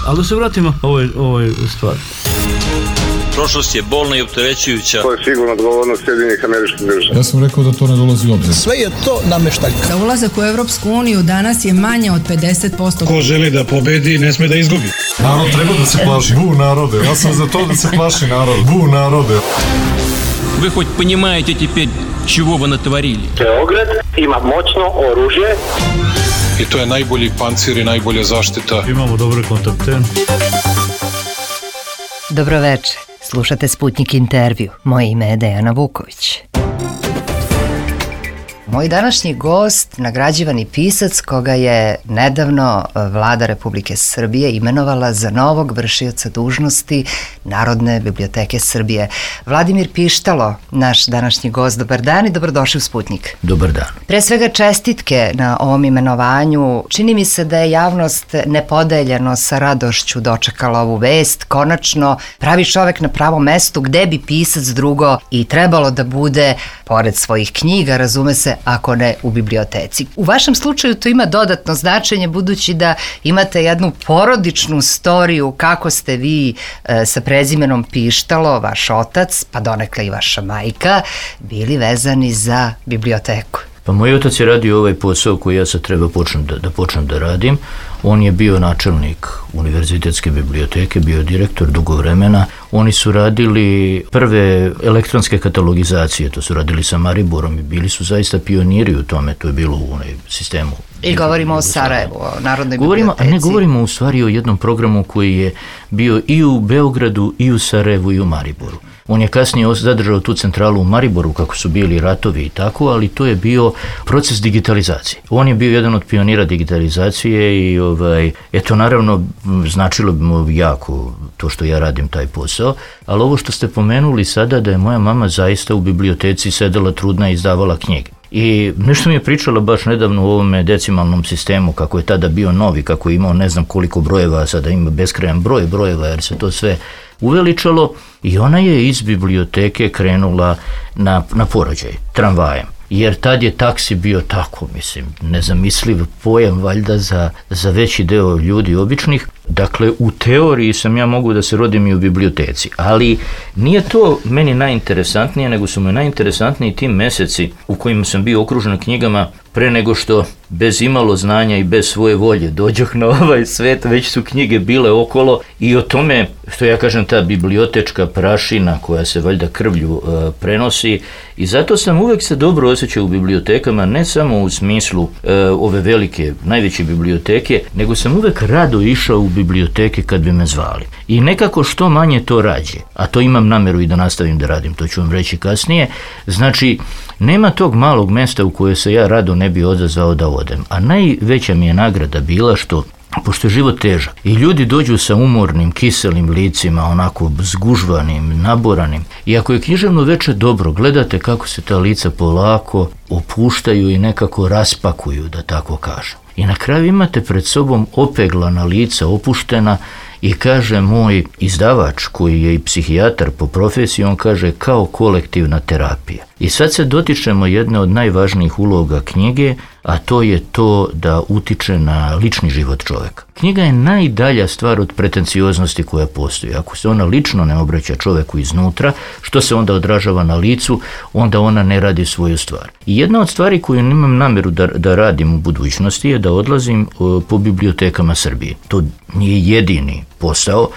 Ali da se vratimo ovoj stvari. Prošlost je bolna i opterećujuća. To je sigurno odgovornost Sjedinjenih Američkih Država. Ja sam rekao da to ne dolazi u obzir. Sve je to nameštaljka. Za ulazak u Evropsku uniju danas je manje od 50%. Ko želi da pobedi, ne sme da izgubi. Narod treba da se plaši. Bu narode. Ja sam za to da se plaši narod. Bu narode. Вы хоть понимаете теперь, чего вы натворили? Beograd ima moćno oružje. I to je najbolji pancir i najbolja zaštita. Imamo dobre kontakte. Dobroveče. Slušate Sputnik intervju. Moje ime je Dejana Vuković. Moj današnji gost, nagrađivani pisac koga je nedavno Vlada Republike Srbije imenovala za novog vršioca dužnosti Narodne biblioteke Srbije. Vladimir Pištalo, naš današnji gost. Dobar dan i dobrodošli u Sputnik. Dobar dan. Pre svega čestitke na ovom imenovanju. Čini mi se da je javnost nepodeljeno sa radošću dočekala ovu vest. Konačno pravi čovek na pravom mestu, gde bi pisac drugo i trebalo da bude, pored svojih knjiga, razume se, ako ne u biblioteci. U vašem slučaju to ima dodatno značenje, budući da imate jednu porodičnu storiju kako ste vi sa prezimenom Pištalo, vaš otac, pa donekle i vaša majka, bili vezani za biblioteku. Pa moj otac je radio ovaj posao koji ja sad treba počnem da radim. On je bio načelnik univerzitetske biblioteke, bio direktor dugo vremena. Oni su radili prve elektronske katalogizacije, to su radili sa Mariborom i bili su zaista pioniri u tome, to je bilo u onaj sistemu. I govorimo o Sarajevu, o Narodnoj biblioteci. Ne govorimo u stvari o jednom programu koji je bio i u Beogradu, i u Sarajevu, i u Mariboru. On je kasnije zadržao tu centralu u Mariboru kako su bili ratovi i tako, ali to je bio proces digitalizacije. On je bio jedan od pionira digitalizacije i eto naravno značilo bi mu jako to što ja radim taj posao, ali ovo što ste pomenuli sada da je moja mama zaista u biblioteci sedela trudna i izdavala knjige. I nešto mi je pričala baš nedavno u ovome decimalnom sistemu, kako je tada bio novi, kako je imao ne znam koliko brojeva, a sada ima beskrajan broj brojeva jer se to sve uveličalo i ona je iz biblioteke krenula na porođaj, tramvajem. Jer tad je taksi bio tako, mislim, nezamisliv pojam valjda za veći deo ljudi običnih. Dakle, u teoriji sam ja mogu da se rodim i u biblioteci, ali nije to meni najinteresantnije, nego su me najinteresantniji ti meseci u kojima sam bio okružen knjigama pre nego što bez imalo znanja i bez svoje volje dođoh na ovaj svet, već su knjige bile okolo i o tome, što ja kažem, ta bibliotečka prašina koja se valjda krvlju prenosi i zato sam uvek se dobro osjećao u bibliotekama, ne samo u smislu ove velike, najveće biblioteke, nego sam uvek rado išao u biblioteke kad bi me zvali. I nekako što manje to rađe, a to imam nameru i da nastavim da radim, to ću vam reći kasnije, znači nema tog malog mesta u koje se ja rado ne bi odazvao da odem. A najveća mi je nagrada bila što, pošto je život težak i ljudi dođu sa umornim, kiselim licima, onako zgužvanim, naboranim, i ako je književno veče dobro, gledate kako se ta lica polako opuštaju i nekako raspakuju, da tako kažem. I na kraju imate pred sobom opeglana lica, opuštena, i kaže moj izdavač, koji je i psihijatar po profesiji, on kaže kao kolektivna terapija. I sad se dotičemo jedne od najvažnijih uloga knjige, a to je to da utiče na lični život čoveka. Knjiga je najdalja stvar od pretencioznosti koja postoji. Ako se ona lično ne obraća čoveku iznutra, što se onda odražava na licu, onda ona ne radi svoju stvar. I jedna od stvari koju imam nameru da radim u budućnosti je da odlazim po bibliotekama Srbije. To nije jedini posao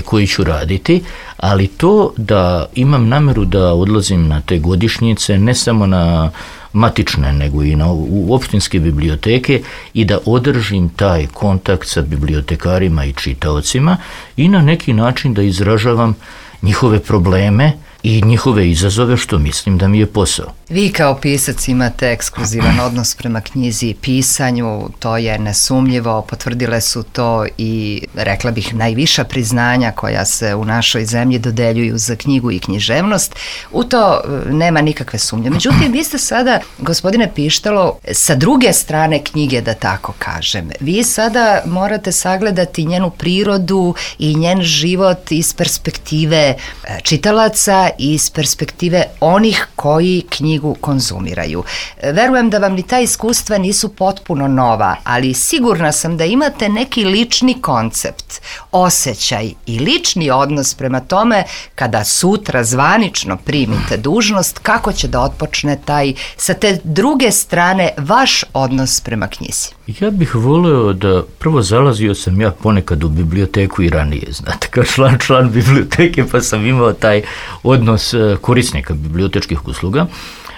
koji ću raditi, ali to da imam nameru da odlazim na te godišnjice, ne samo na matične, nego i u opštinske biblioteke i da održim taj kontakt sa bibliotekarima i čitaocima i na neki način da izražavam njihove probleme i njihove izazove, što mislim da mi je posao. Vi kao pisac imate ekskluzivan odnos prema knjizi i pisanju, to je nesumnjivo, potvrdile su to i, rekla bih, najviša priznanja koja se u našoj zemlji dodeljuju za knjigu i književnost. U to nema nikakve sumnje. Međutim, vi ste sada, gospodine Pištalo, sa druge strane knjige, da tako kažem. Vi sada morate sagledati njenu prirodu i njen život iz perspektive čitalaca i iz perspektive onih koji knjigu knjigu konzumiraju. Verujem da vam ni ta iskustva nisu potpuno nova, ali sigurna sam da imate neki lični koncept, osjećaj i lični odnos prema tome kada sutra zvanično primite dužnost, kako će da otpočne taj, sa te druge strane, vaš odnos prema knjizi. Ja bih voleo da, prvo zalazio sam ja ponekad u biblioteku i ranije, znate, kao član biblioteke, pa sam imao taj odnos korisnika bibliotečkih usluga.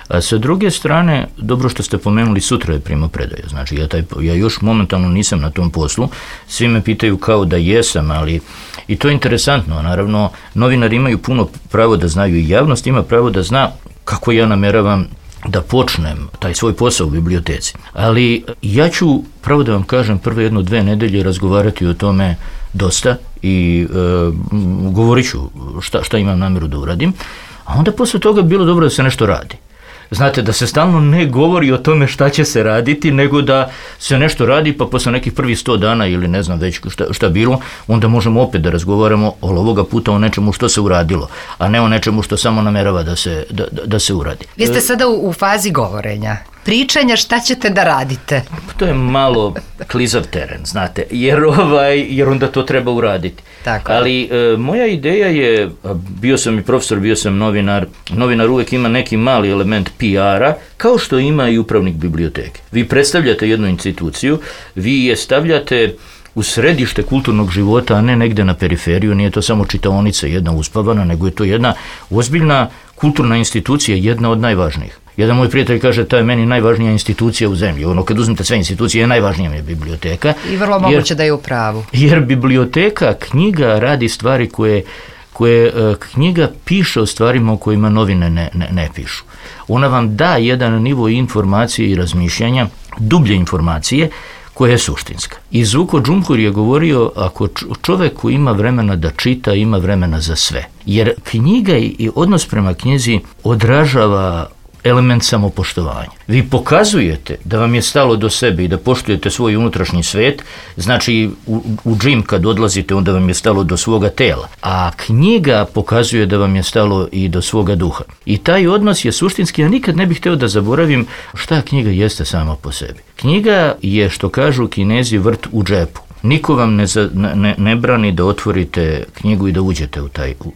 A sa druge strane, dobro što ste pomenuli, sutra je primopredaja, znači ja još momentalno nisam na tom poslu, svi me pitaju kao da jesam, ali i to je interesantno, naravno, novinari imaju puno pravo da znaju i javnost ima pravo da zna kako ja nameravam da počnem taj svoj posao u biblioteci. Ali ja ću, pravo da vam kažem, prve 1-2 nedelje razgovarati o tome dosta i govorit ću šta imam namjeru da uradim, a onda posle toga bi bilo dobro da se nešto radi. Znate, da se stalno ne govori o tome šta će se raditi, nego da se nešto radi, pa posle nekih prvih 100 dana ili ne znam već šta bilo, onda možemo opet da razgovaramo ovoga puta o nečemu što se uradilo, a ne o nečemu što samo namerava da se uradi. Vi ste sada u fazi govorenja, pričanja, šta ćete da radite? To je malo klizav teren, znate, jer onda to treba uraditi. Tako. Ali moja ideja je, bio sam i profesor, bio sam novinar uvijek ima neki mali element PR-a, kao što ima i upravnik biblioteke. Vi predstavljate jednu instituciju, vi je stavljate u središte kulturnog života, a ne negde na periferiju, nije to samo čitaonica jedna uspavana, nego je to jedna ozbiljna kulturna institucija, jedna od najvažnijih. Jedan moj prijatelj kaže, to je meni najvažnija institucija u zemlji. Ono, kad uzmete sve institucije, najvažnija mi je biblioteka. I vrlo moguće da je u pravu. Jer biblioteka, knjiga radi stvari koje knjiga piše o stvarima o kojima novine ne pišu. Ona vam da jedan nivo informacije i razmišljanja, dublje informacije, koja je suštinska. I Zuko Džumhur je govorio, ako čovjek koji ima vremena da čita, ima vremena za sve. Jer knjiga i odnos prema knjizi odražava element samopoštovanja. Vi pokazujete da vam je stalo do sebe i da poštujete svoj unutrašnji svet, znači u džim kad odlazite, onda vam je stalo do svoga tela. A knjiga pokazuje da vam je stalo i do svoga duha. I taj odnos je suštinski, ja nikad ne bih htio da zaboravim šta knjiga jeste sama po sebi. Knjiga je, što kažu Kinezi, vrt u džepu. Niko vam ne brani da otvorite knjigu i da uđete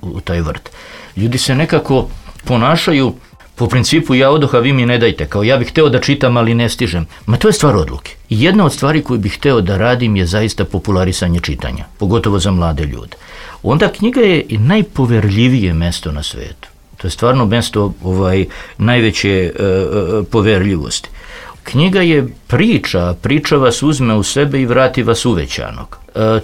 u taj vrt. Ljudi se nekako ponašaju po principu ja odoh, a vi mi ne dajte, kao ja bih hteo da čitam, ali ne stižem. Ma to je stvar odluke. I jedna od stvari koju bih hteo da radim je zaista popularisanje čitanja, pogotovo za mlade ljude. Onda knjiga je i najpoverljivije mesto na svetu. To je stvarno mesto najveće poverljivosti. Knjiga je priča vas uzme u sebe i vrati vas uvećanog.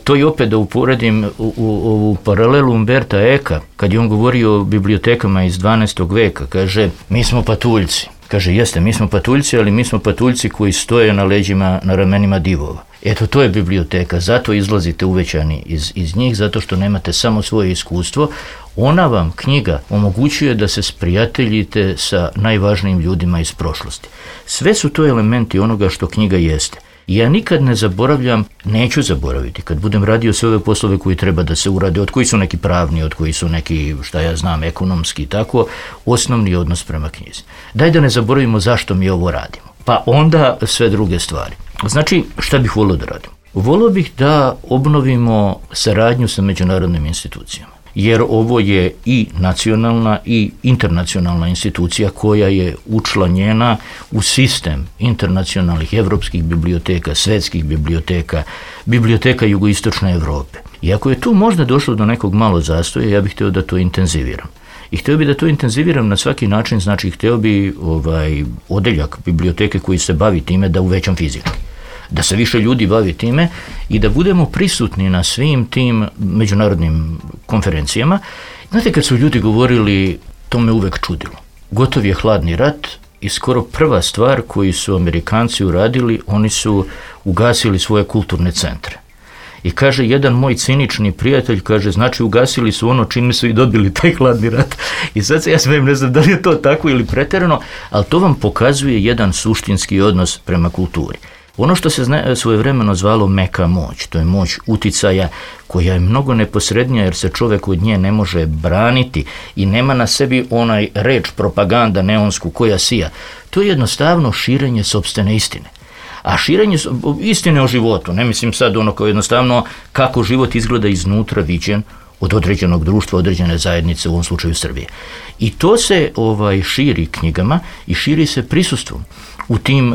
To je opet da uporedim u paralelu Umberta Eka, kad je on govorio o bibliotekama iz 12. veka, kaže, mi smo patuljci. Kaže, jeste, mi smo patuljci, ali mi smo patuljci koji stoje na leđima, na ramenima divova. Eto, to je biblioteka, zato izlazite uvećani iz njih, zato što nemate samo svoje iskustvo. Ona vam, knjiga, omogućuje da se sprijateljite sa najvažnijim ljudima iz prošlosti. Sve su to elementi onoga što knjiga jeste. Ja nikad ne zaboravljam, neću zaboraviti, kad budem radio sve ove poslove koji treba da se urade, od koji su neki pravni, od koji su neki, šta ja znam, ekonomski i tako, osnovni odnos prema knjizi. Daj da ne zaboravimo zašto mi ovo radimo, pa onda sve druge stvari. Znači, šta bih volio da radim? Volio bih da obnovimo saradnju sa međunarodnim institucijama, jer ovo je i nacionalna i internacionalna institucija koja je učlanjena u sistem internacionalnih evropskih biblioteka, svetskih biblioteka, biblioteka jugoistočne Evrope. I ako je tu možda došlo do nekog malo zastoja, ja bih htio da to intenziviram. I htio bi da to intenziviram na svaki način, znači htio bi odeljak biblioteke koji se bavi time da uvećam fizički. Da se više ljudi bavi time i da budemo prisutni na svim tim međunarodnim konferencijama. Znate, kad su ljudi govorili, to me uvek čudilo. Gotov je hladni rat i skoro prva stvar koju su Amerikanci uradili, oni su ugasili svoje kulturne centre. I kaže, jedan moj cinični prijatelj, kaže, znači ugasili su ono čime su i dobili taj hladni rat. I sad se ja smijem, ne znam da li je to tako ili pretjerano, ali to vam pokazuje jedan suštinski odnos prema kulturi. Ono što se svojevremeno zvalo meka moć, to je moć uticaja koja je mnogo neposrednija jer se čovjek od nje ne može braniti i nema na sebi onaj reč propaganda neonsku koja sija. To je jednostavno širenje sopstvene istine. A širenje istine o životu, ne mislim sad ono kao jednostavno kako život izgleda iznutra viđen od određenog društva, određene zajednice, u ovom slučaju Srbije. I to se širi knjigama i širi se prisustvom u tim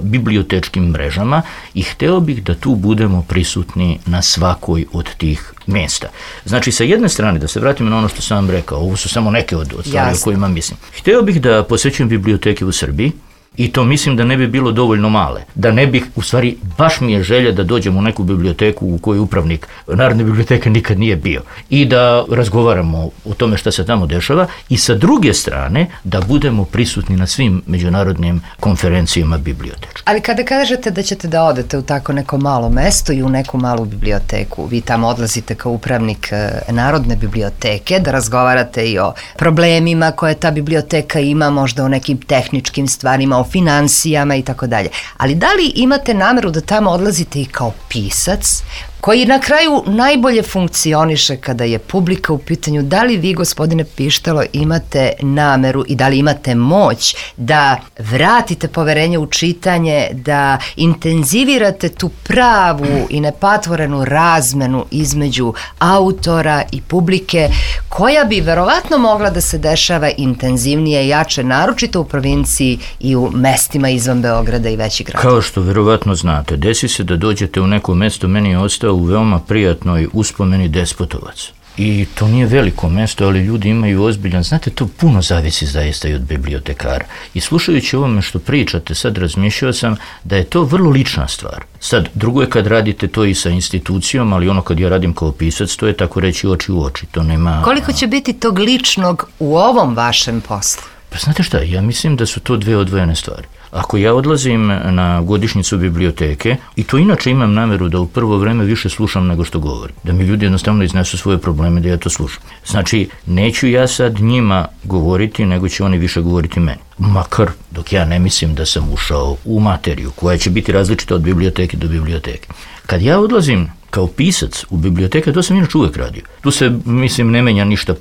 bibliotečkim mrežama i hteo bih da tu budemo prisutni na svakoj od tih mjesta. Znači, sa jedne strane, da se vratimo na ono što sam vam rekao, ovo su samo neke od stvari o kojima mislim. Hteo bih da posjećujem biblioteke u Srbiji, i to mislim da ne bi bilo dovoljno male. Da ne bih, u stvari, baš mi je želja da dođem u neku biblioteku u kojoj upravnik Narodne biblioteke nikad nije bio i da razgovaramo o tome šta se tamo dešava i sa druge strane da budemo prisutni na svim međunarodnim konferencijama bibliotečkim. Ali kada kažete da ćete da odete u tako neko malo mesto i u neku malu biblioteku, vi tamo odlazite kao upravnik Narodne biblioteke da razgovarate i o problemima koje ta biblioteka ima, možda o nekim tehničkim stvarima, o financijama i tako dalje. Ali da li imate nameru da tamo odlazite i kao pisac, koji na kraju najbolje funkcioniše kada je publika u pitanju? Da li vi, gospodine Pištalo, imate nameru i da li imate moć da vratite poverenje u čitanje, da intenzivirate tu pravu i nepatvorenu razmenu između autora i publike, koja bi verovatno mogla da se dešava intenzivnije i jače, naročito u provinciji i u mestima izvan Beograda i većih gradova? Kao što verovatno znate, desi se da dođete u neko mesto, meni je ostao u veoma prijatnoj uspomeni Despotovac. I to nije veliko mesto, ali ljudi imaju ozbiljan, znate, to puno zavisi zaista i od bibliotekara. I slušajući ovome što pričate, sad razmišljao sam da je to vrlo lična stvar. Sad, drugo je kad radite to i sa institucijom, ali ono kad ja radim kao pisac, to je tako reći oči u oči. To nema... Koliko će biti tog ličnog u ovom vašem poslu? Pa znate šta, ja mislim da su to dve odvojene stvari. Ako ja odlazim na godišnjicu biblioteke, i to inače imam nameru da u prvo vreme više slušam nego što govorim, da mi ljudi jednostavno iznesu svoje probleme da ja to slušam. Znači, neću ja sad njima govoriti, nego će oni više govoriti meni. Makar dok ja ne mislim da sam ušao u materiju koja će biti različita od biblioteke do biblioteke. Kad ja odlazim kao pisac u biblioteke, to sam inače uvek radio. Tu se, mislim, ne menja ništa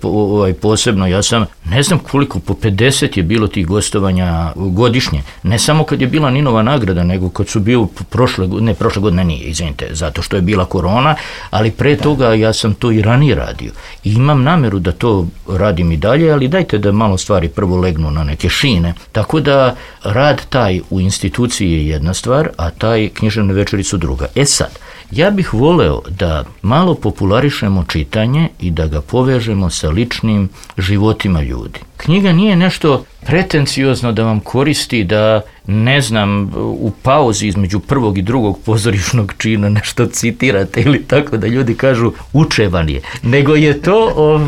posebno. Ja sam, ne znam koliko, po 50 je bilo tih gostovanja godišnje. Ne samo kad je bila Ninova nagrada, nego kad su bio prošle godine nije, izvinite, zato što je bila korona, ali pre toga ja sam to i ranije radio. I imam nameru da to radim i dalje, ali dajte da malo stvari prvo legnu na neke šine. Tako da rad taj u instituciji je jedna stvar, a taj književne večeri su druga. E sad, ja bih voleo da malo popularišemo čitanje i da ga povežemo sa ličnim životima ljudi. Knjiga nije nešto pretenciozno da vam koristi da, ne znam, u pauzi između prvog i drugog pozorišnog čina nešto citirate ili tako da ljudi kažu učevan je, nego je to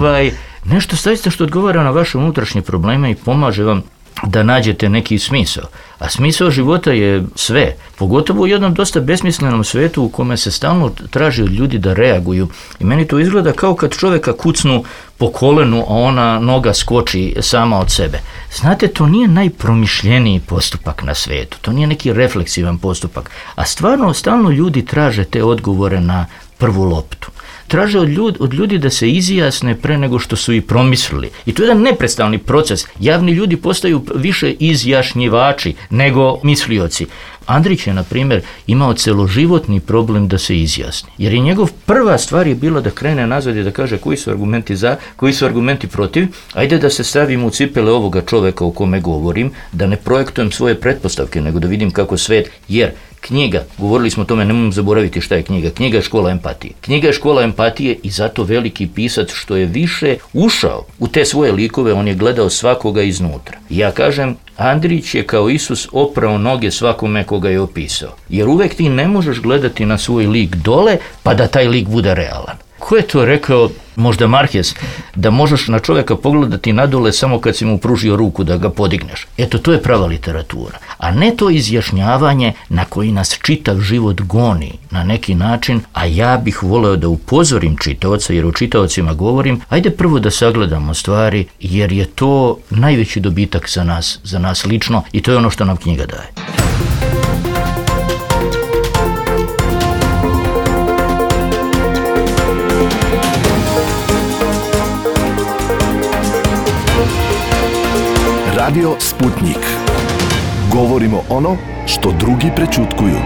nešto zaista što odgovara na vaše unutrašnje probleme i pomaže vam da nađete neki smisao. A smisao života je sve, pogotovo u jednom dosta besmislenom svetu u kome se stalno traži od ljudi da reaguju. I meni to izgleda kao kad čovjeka kucnu po kolenu, a ona noga skoči sama od sebe. Znate, to nije najpromišljeniji postupak na svetu, to nije neki refleksivan postupak, a stvarno stalno ljudi traže te odgovore na prvu loptu. Traže od ljudi da se izjasne pre nego što su i promislili. I to je jedan neprestalni proces. Javni ljudi postaju više izjašnjivači nego mislioci. Andrić je, na primjer, imao celoživotni problem da se izjasni. Jer je njegov prva stvar je bila da krene nazad i da kaže koji su argumenti za, koji su argumenti protiv. Ajde da se stavim u cipele ovoga čoveka o kome govorim, da ne projektujem svoje pretpostavke, nego da vidim kako svet, jer knjiga, govorili smo o tome, nemojmo zaboraviti šta je knjiga. Knjiga je škola empatije. Knjiga je škola empatije i zato veliki pisac što je više ušao u te svoje likove, on je gledao svakoga iznutra. I ja kažem, Andrić je kao Isus oprao noge svakome koga je opisao. Jer uvek ti ne možeš gledati na svoj lik dole pa da taj lik bude realan. Ko je to rekao, možda Marquez, da možeš na čovjeka pogledati nadole samo kad si mu pružio ruku da ga podigneš. Eto, to je prava literatura. A ne to izjašnjavanje na koji nas čitav život goni na neki način, a ja bih voleo da upozorim čitaoca, jer o čitaocima govorim, ajde prvo da sagledamo stvari, jer je to najveći dobitak za nas lično i to je ono što nam knjiga daje. Radio Sputnik. Govorimo ono što drugi prećutkuju.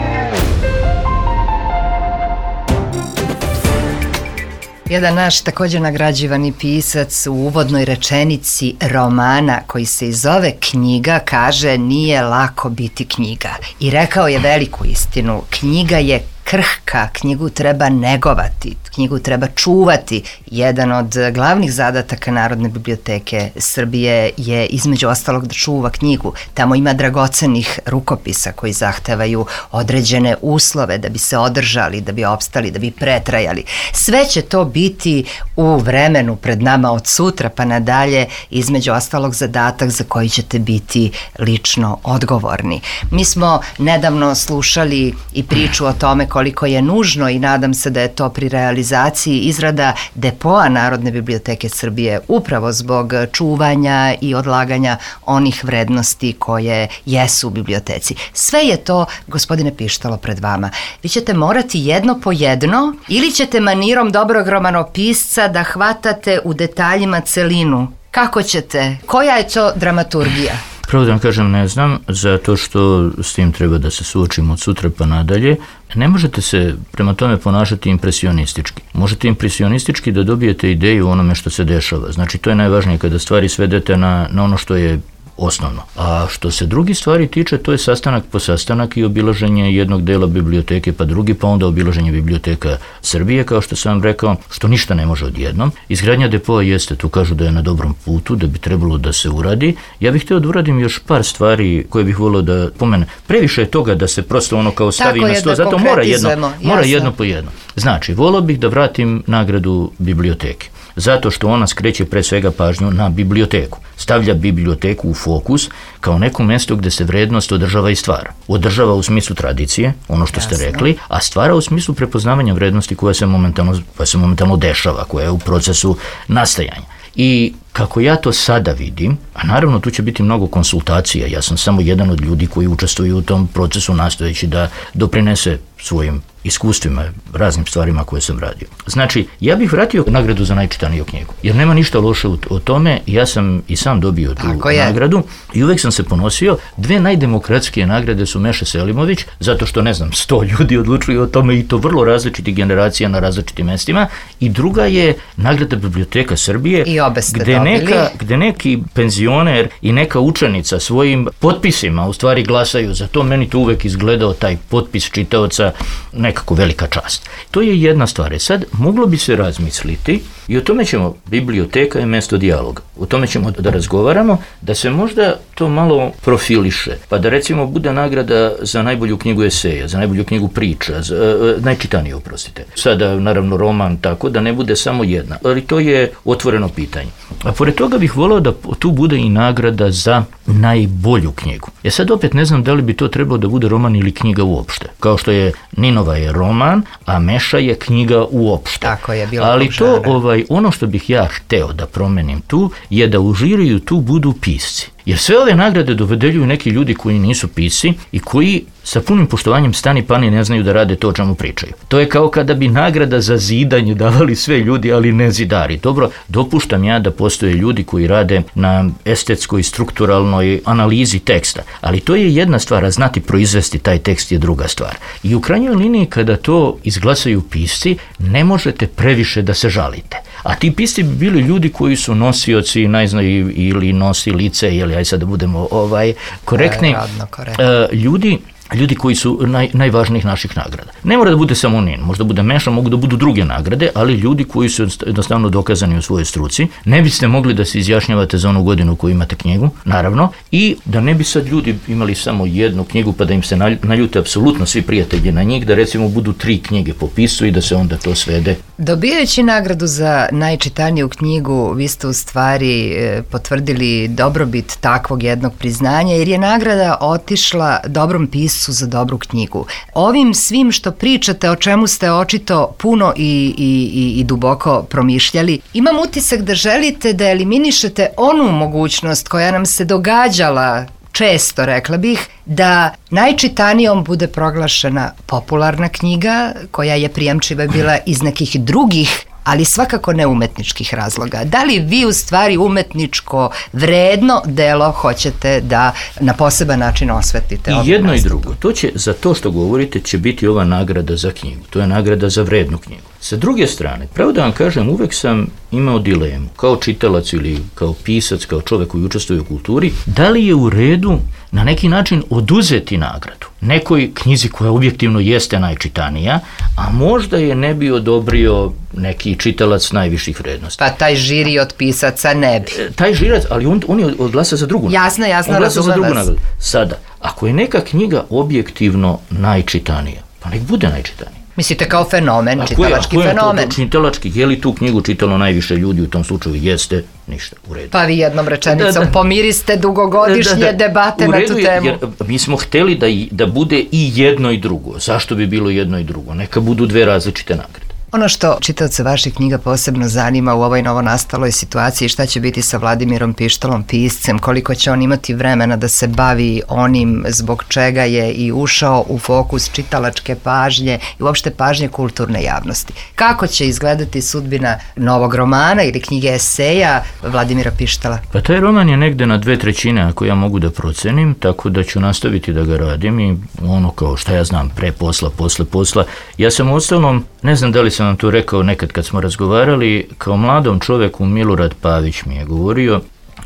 Jedan naš također nagrađivani pisac u uvodnoj rečenici romana koji se zove Knjiga kaže nije lako biti knjiga. I rekao je veliku istinu, knjiga je krhka, knjigu treba negovati, knjigu treba čuvati. Jedan od glavnih zadataka Narodne biblioteke Srbije je između ostalog da čuva knjigu. Tamo ima dragocenih rukopisa koji zahtevaju određene uslove da bi se održali, da bi opstali, da bi pretrajali. Sve će to biti u vremenu pred nama od sutra pa nadalje, između ostalog zadatak za koji ćete biti lično odgovorni. Mi smo nedavno slušali i priču o tome koliko je nužno i nadam se da je to pri realizaciji izrada depoa Narodne biblioteke Srbije upravo zbog čuvanja i odlaganja onih vrednosti koje jesu u biblioteci. Sve je to, gospodine Pištalo, pred vama. Vi ćete morati jedno po jedno ili ćete manirom dobrog romanopisca da hvatate u detaljima celinu. Kako ćete? Koja je to dramaturgija? Pravo da vam kažem, ne znam, zato što s tim treba da se suočimo od sutra pa nadalje. Ne možete se prema tome ponašati impresionistički. Možete impresionistički da dobijete ideju o onome što se dešava. Znači, to je najvažnije kada stvari svedete na ono što je osnovno. A što se drugi stvari tiče, to je sastanak po sastanak i obilaženje jednog dela biblioteke pa drugi, pa onda obilaženje biblioteka Srbije, kao što sam vam rekao, što ništa ne može odjednom. Izgradnja depoa jeste, tu kažu da je na dobrom putu, da bi trebalo da se uradi. Ja bih htio da uradim još par stvari koje bih volio da pomene. Previše je toga da se prosto ono kao stavi na sto, zato mora jedno po jedno. Znači, volio bih da vratim nagradu biblioteke. Zato što ona skreće pre svega pažnju na biblioteku. Stavlja biblioteku u fokus kao neko mjesto gdje se vrednost održava i stvara. Održava u smislu tradicije, ono što ste rekli, a stvara u smislu prepoznavanja vrednosti koja se momentalno dešava, koja je u procesu nastajanja. I kako ja to sada vidim, a naravno tu će biti mnogo konsultacija, ja sam samo jedan od ljudi koji učestvuju u tom procesu nastojeći da doprinese svojim iskustvima, raznim stvarima koje sam radio. Znači, ja bih vratio nagradu za najčitaniju knjigu, jer nema ništa loše o tome, ja sam i sam dobio tu nagradu i uvek sam se ponosio. Dve najdemokratskije nagrade su Meša Selimović, zato što, 100 ljudi odlučuju o tome i to vrlo različitih generacija na različitim mestima, i druga je nagrada Biblioteka Srbije, gde neki penzioner i neka učenica svojim potpisima u stvari glasaju za to. Meni to uvek izgledao taj potpis čitaoca nekako velika čast. To je jedna stvar. Sad, moglo bi se razmisliti i o tome ćemo, biblioteka je mesto dijaloga. O tome ćemo da razgovaramo, da se možda to malo profiliše, pa da recimo bude nagrada za najbolju knjigu eseja, za najbolju knjigu priča, najčitaniju, oprostite. Sada, naravno, roman, tako da ne bude samo jedna, ali to je otvoreno pitanje. A pored toga bih volio da tu bude i nagrada za najbolju knjigu. Sad opet ne znam da li bi to trebalo da bude roman ili knjiga uopšte. Kao što je Ninova je roman, a Meša je knjiga uopšte. Tako je bilo. Ali to, ono što bih ja hteo da promenim tu, je da u žiriju tu budu pisci. Jer sve ove nagrade dovedeljuju neki ljudi koji nisu pisci i koji sa punim poštovanjem stani pani ne znaju da rade to o čemu pričaju. To je kao kada bi nagrada za zidanje davali sve ljudi, ali ne zidari. Dobro, dopuštam ja da postoje ljudi koji rade na estetskoj, strukturalnoj analizi teksta, ali to je jedna stvar, a znati proizvesti taj tekst je druga stvar. I u krajnjoj liniji kada to izglasaju pisci, ne možete previše da se žalite. A ti pisci bi bili ljudi koji su nosioci, ili nosilice, ili aj sad da budemo korektni, ljudi koji su najvažnijih naših nagrada. Ne mora da bude samo NIN, možda bude Meša, mogu da budu druge nagrade, ali ljudi koji su jednostavno dokazani u svojoj struci. Ne biste mogli da se izjašnjavate za onu godinu koju imate knjigu, naravno, i da ne bi sad ljudi imali samo jednu knjigu pa da im se naljute apsolutno svi prijatelji na njih, da recimo budu 3 knjige po pisu i da se onda to svede. Dobijajući nagradu za najčitaniju knjigu, vi ste u stvari potvrdili dobrobit takvog jednog priznanja, jer je nagrada otišla dobrom piscu za dobru knjigu. Ovim svim što pričate, o čemu ste očito puno i duboko promišljali, imam utisak da želite da eliminišete onu mogućnost koja nam se događala često, rekla bih, da najčitanijom bude proglašena popularna knjiga koja je prijemčiva bila iz nekih drugih ali svakako ne umetničkih razloga. Da li vi u stvari umetničko vredno delo hoćete da na poseban način osvetite? I jedno i drugo. To će, za to što govorite, će biti ova nagrada za knjigu. To je nagrada za vrednu knjigu. Sa druge strane, pravo da vam kažem, uvek sam imao dilemu, kao čitalac ili kao pisac, kao čovjek koji učestvuje u kulturi, da li je u redu na neki način oduzeti nagradu nekoj knjizi koja objektivno jeste najčitanija, a možda je ne bi odobrio neki čitalac najviših vrednosti. Pa taj žiri od pisaca ne bi. Taj žirac, ali on je odglasa za drugu nagradu. Jasno, razumem vas. Sada, ako je neka knjiga objektivno najčitanija, pa nek bude najčitanija. Mislite kao fenomen, čitalački fenomen? Čitalački, je li tu knjigu čitalo najviše ljudi, u tom slučaju jeste, ništa, u redu. Pa vi jednom rečenicom pomiriste dugogodišnje debate na tu temu. Jer mi smo hteli da bude i jedno i drugo. Zašto bi bilo jedno i drugo? Neka budu dve različite nagrade. Ono što čitaoce vaših knjiga posebno zanima u ovoj novonastaloj situaciji, šta će biti sa Vladimirom Pištolom, piscem, koliko će on imati vremena da se bavi onim zbog čega je i ušao u fokus čitalačke pažnje i uopšte pažnje kulturne javnosti. Kako će izgledati sudbina novog romana ili knjige eseja Vladimira Pištola? Pa taj roman je negde na 2/3 ako ja mogu da procenim, tako da ću nastaviti da ga radim i ono kao šta ja znam, pre posla, posle posla. Ja sam uostalom, ne znam da li sam vam to rekao nekad kad smo razgovarali, kao mladom čoveku Milorad Pavić mi je govorio,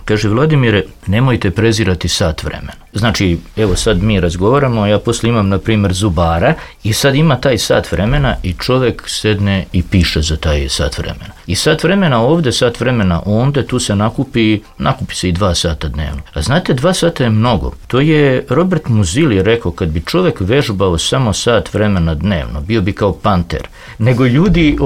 kaže, Vladimire, nemojte prezirati sat vremena. Znači, evo sad mi razgovaramo, ja posle imam, na primjer, zubara i sad ima taj sat vremena i čovek sedne i piše za taj sat vremena. I sat vremena ovde, sat vremena onde, tu se nakupi se i 2 sata dnevno. A znate, 2 sata je mnogo. To je Robert Musil rekao, kad bi čovek vežbao samo sat vremena dnevno, bio bi kao panter. Nego ljudi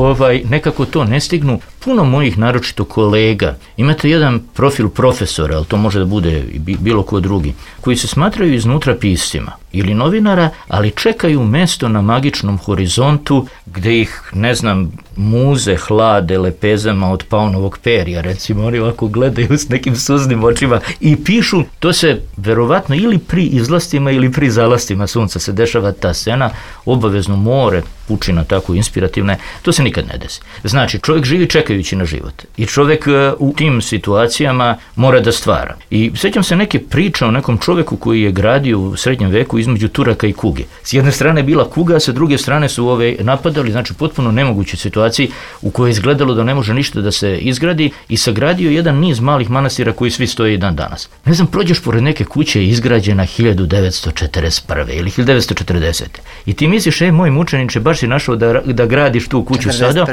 nekako to ne stignu. Puno mojih, naročito kolega, imate jedan profil profesora, ali to može da bude i bilo ko drugi, koji se smatraju iznutra piscima ili novinara, ali čekaju mesto na magičnom horizontu gde ih, ne znam, muze hlade lepezama od paunovog perja, recimo, oni ovako gledaju s nekim suznim očima i pišu. To se verovatno ili pri izlastima ili pri zalastima sunca se dešava ta scena, obavezno more, pučina tako inspirativna je, to se nikad ne desi. Znači, čovjek živi čekajući na život i čovjek u tim situacijama mora da stvara. I sjećam se neke priče o nekom čovjeku koji je gradio u srednjem veku između Turaka i kuge. S jedne strane je bila kuga, a sa druge strane su napadali, znači potpuno nemoguće situaciji u kojoj je izgledalo da ne može ništa da se izgradi i sagradio jedan niz malih manastira koji svi stoje i dan danas. Ne znam, prođeš pored neke kuće izgrađena 1941. ili 1940. I ti misliš, moj mučeniče, baš si našao da gradiš tu kuću 41. sada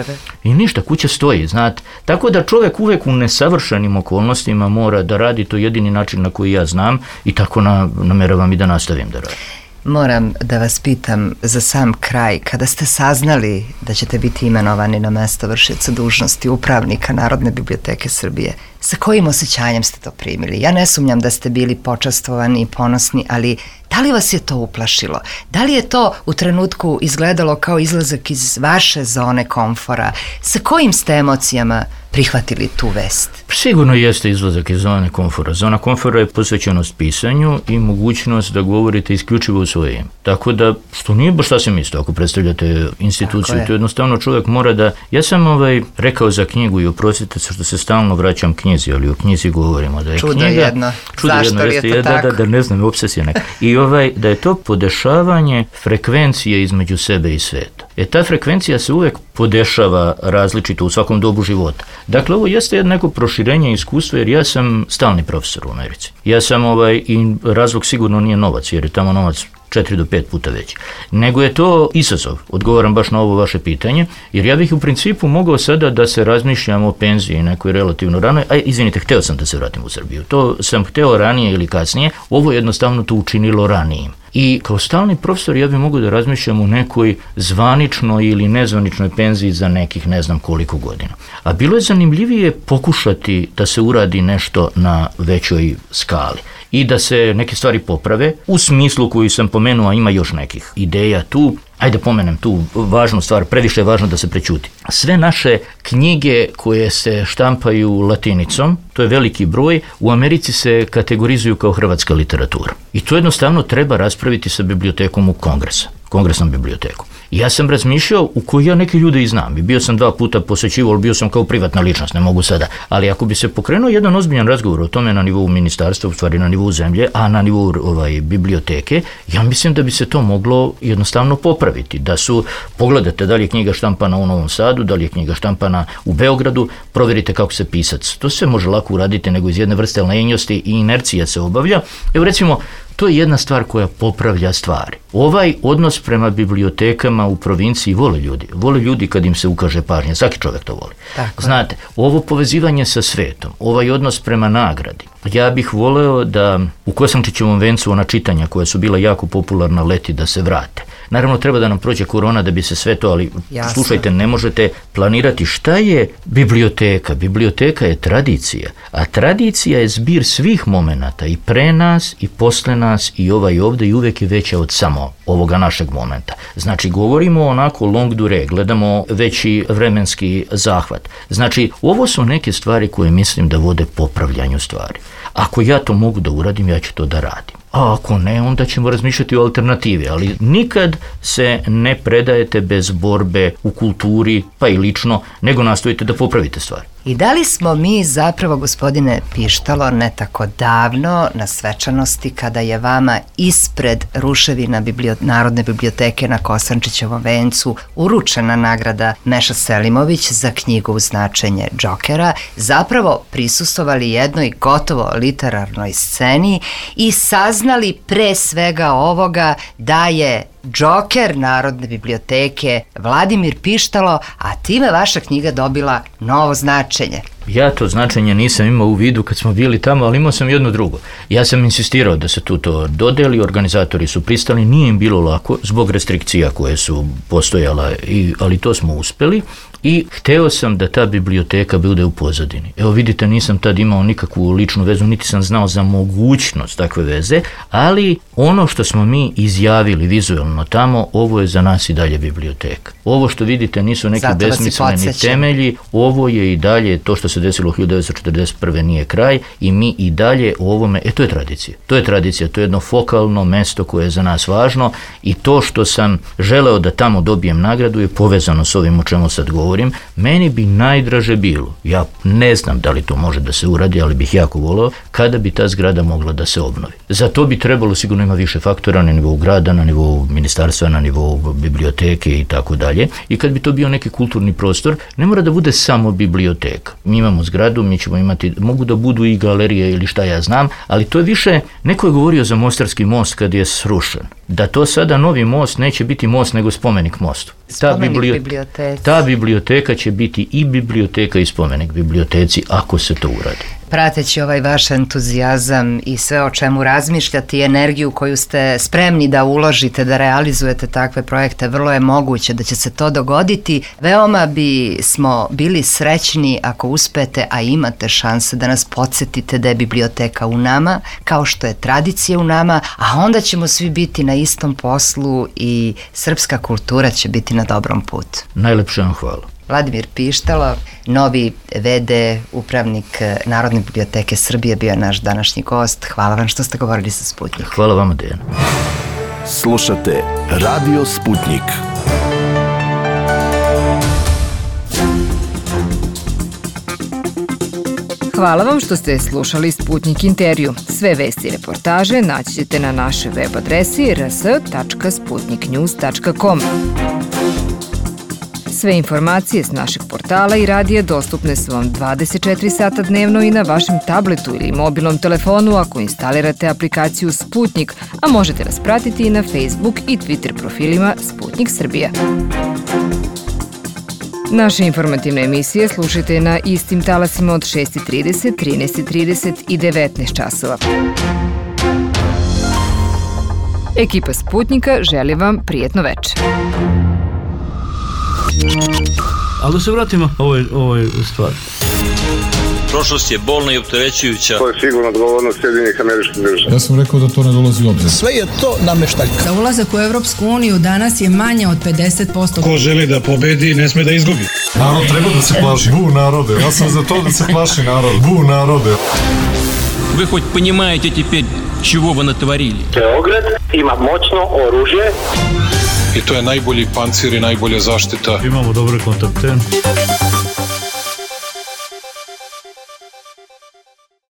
i ništa, kuća stoji, znate. Tako da čovjek uvek u nesavršenim okolnostima mora da radi, to jedini način na koji ja znam i tako nameravam i da nastavim da radim. Moram da vas pitam za sam kraj, kada ste saznali da ćete biti imenovani na mesto vršioca dužnosti upravnika Narodne biblioteke Srbije, sa kojim osjećanjem ste to primili? Ja ne sumnjam da ste bili počastvovani i ponosni, ali da li vas je to uplašilo? Da li je to u trenutku izgledalo kao izlazak iz vaše zone komfora? Sa kojim ste emocijama prihvatili tu vest? Sigurno jeste izlazak iz zone komfora. Zona komfora je posvećenost pisanju i mogućnost da govorite isključivo u svoje ime. Tako da, što nije baš sasvim isto ako predstavljate instituciju, to jednostavno čovjek mora da... Ja sam rekao za knjigu i oprostite se što se stalno vraćam knjizi, ali o knjizi govorimo da je čudo knjiga... Jedno. Zašto je to tako? Da ne znam, obsesija neka. I da je to podešavanje frekvencije između sebe i sveta. Ta frekvencija se uvek podešava različito u svakom dobu života. Dakle, ovo jeste neko proširenje iskustva, jer ja sam stalni profesor u Americi. Ja sam i razlog sigurno nije novac, jer je tamo novac 4 do 5 puta veći. Nego je to izazov, odgovaram baš na ovo vaše pitanje, jer ja bih u principu mogao sada da se razmišljam o penziji nekoj relativno ranoj, izvinite, hteo sam da se vratim u Srbiju. To sam hteo ranije ili kasnije, ovo jednostavno to učinilo ranijim. I kao stalni profesor ja bih mogao da razmišljam o nekoj zvaničnoj ili nezvaničnoj penziji za nekih ne znam koliko godina. A bilo je zanimljivije pokušati da se uradi nešto na većoj skali i da se neke stvari poprave u smislu koju sam pomenuo, a ima još nekih ideja tu. Ajde pomenem tu važnu stvar, previše je važno da se prećuti. Sve naše knjige koje se štampaju latinicom, to je veliki broj, u Americi se kategorizuju kao hrvatska literatura. I to jednostavno treba raspraviti sa bibliotekom u kongresnom bibliotekom. Ja sam razmišljao u koji ja neke ljude i znam. I bio sam 2 puta posjećivao, bio sam kao privatna ličnost, ne mogu sada. Ali ako bi se pokrenuo jedan ozbiljan razgovor o tome na nivou ministarstva, u stvari na nivou zemlje, a na nivou biblioteke, ja mislim da bi se to moglo jednostavno popraviti. Da su, pogledajte da li je knjiga štampana u Novom Sadu, da li je knjiga štampana u Beogradu, provjerite kako se pisac. To se može lako uraditi nego iz jedne vrste lenjosti i inercija se obavlja. Evo recimo, to je jedna stvar koja popravlja stvari. Ovaj odnos prema bibliotekama u provinciji vole ljudi. Vole ljudi kad im se ukaže pažnja. Svaki čovjek to voli. Znate, ovo povezivanje sa svetom, ovaj odnos prema nagradi. Ja bih voleo da u Kosančićevom vencu ona čitanja koja su bila jako popularna leti da se vrate. Naravno, treba da nam prođe korona da bi se sve to, ali slušajte, ne možete planirati šta je biblioteka. Biblioteka je tradicija, a tradicija je zbir svih momenata i pre nas i posle nas i ovaj ovdje i uvijek je veća od samo ovoga našeg momenta. Znači, govorimo onako long dure, gledamo veći vremenski zahvat. Znači, ovo su neke stvari koje mislim da vode popravljanju stvari. Ako ja to mogu da uradim, ja ću to da radim. A ako ne, onda ćemo razmišljati o alternativi, ali nikad se ne predajete bez borbe u kulturi, pa i lično, nego nastojite da popravite stvari. I da li smo mi zapravo, gospodine Pištalo, ne tako davno na svečanosti kada je vama ispred ruševina Narodne biblioteke na Kosančićevom vencu uručena nagrada Meša Selimović za knjigu Značenje Džokera, zapravo prisustvovali jednoj gotovo literarnoj sceni i saznali pre svega ovoga da je Džoker Narodne biblioteke Vladimir Pištalo, a time vaša knjiga dobila novo značenje. Ja to značenje nisam imao u vidu kad smo bili tamo, ali imao sam jedno drugo. Ja sam insistirao da se tu to dodeli, organizatori su pristali, nije im bilo lako zbog restrikcija koje su postojala, ali to smo uspeli. I hteo sam da ta biblioteka bude u pozadini. Evo vidite, nisam tad imao nikakvu ličnu vezu, niti sam znao za mogućnost takve veze, ali ono što smo mi izjavili vizualno tamo, ovo je za nas i dalje biblioteka. Ovo što vidite nisu neki besmisleni temelji, ovo je i dalje to što se desilo 1941. nije kraj i mi i dalje o ovome, to je tradicija. To je tradicija, to je jedno fokalno mesto koje je za nas važno i to što sam želeo da tamo dobijem nagradu je povezano s ovim o čemu sad govorim. Meni bi najdraže bilo, ja ne znam da li to može da se uradi, ali bih jako voleo, kada bi ta zgrada mogla da se obnovi. Za to bi trebalo, sigurno ima više faktora na nivou grada, na nivou ministarstva, na nivou biblioteke i tako dalje. I kad bi to bio neki kulturni prostor, ne mora da bude samo biblioteka. Mi imamo zgradu, mi ćemo imati, mogu da budu i galerije ili šta ja znam, ali to je više, neko je govorio za Mostarski most kad je srušen. Da to sada novi most neće biti most nego spomenik mostu. Ta biblioteka će biti i biblioteka i spomenik biblioteci ako se to uradi. Prateći ovaj vaš entuzijazam i sve o čemu razmišljate i energiju koju ste spremni da uložite, da realizujete takve projekte, vrlo je moguće da će se to dogoditi. Veoma bismo bili srećni ako uspete, a imate šanse da nas podsjetite da je biblioteka u nama, kao što je tradicija u nama, a onda ćemo svi biti na istom poslu i srpska kultura će biti na dobrom putu. Najlepše vam hvala. Vladimir Pištalo, novi VD, upravnik Narodne biblioteke Srbije, bio je naš današnji gost. Hvala vam što ste govorili sa Sputnik. Hvala vama, Dejana. Slušate Radio Sputnik. Hvala vam što ste slušali Sputnik intervju. Sve vesti i reportaže naći ćete na našoj web adresi rs.sputniknews.com. Sve informacije s našeg portala i radija dostupne su vam 24 sata dnevno i na vašem tabletu ili mobilnom telefonu ako instalirate aplikaciju Sputnik, a možete nas pratiti i na Facebook i Twitter profilima Sputnik Srbija. Naše informativne emisije slušajte na istim talasima od 6:30, 13:30 i 19 časova. Ekipa Sputnika želi vam prijetno večer. Ali da se vratimo ovoj stvari. Prošlost je bolna i opterećujuća. To je sigurno odgovornost Sjedinjenih Američkih Država. Ja sam rekao da to ne dolazi u obzir. Sve je to nameštaljka. Za ulazak u Evropsku uniju danas je manje od 50%. Ko želi da pobedi, ne sme da izgubi. Narod treba da se plaši. Bu narode. Ja sam za to da se plaši narod. Bu narode. Вы хоть понимаете теперь, чего вы натворили? Beograd ima moćno oružje. I to je najbolji pancir i najbolja zaštita. Imamo dobre kontakte.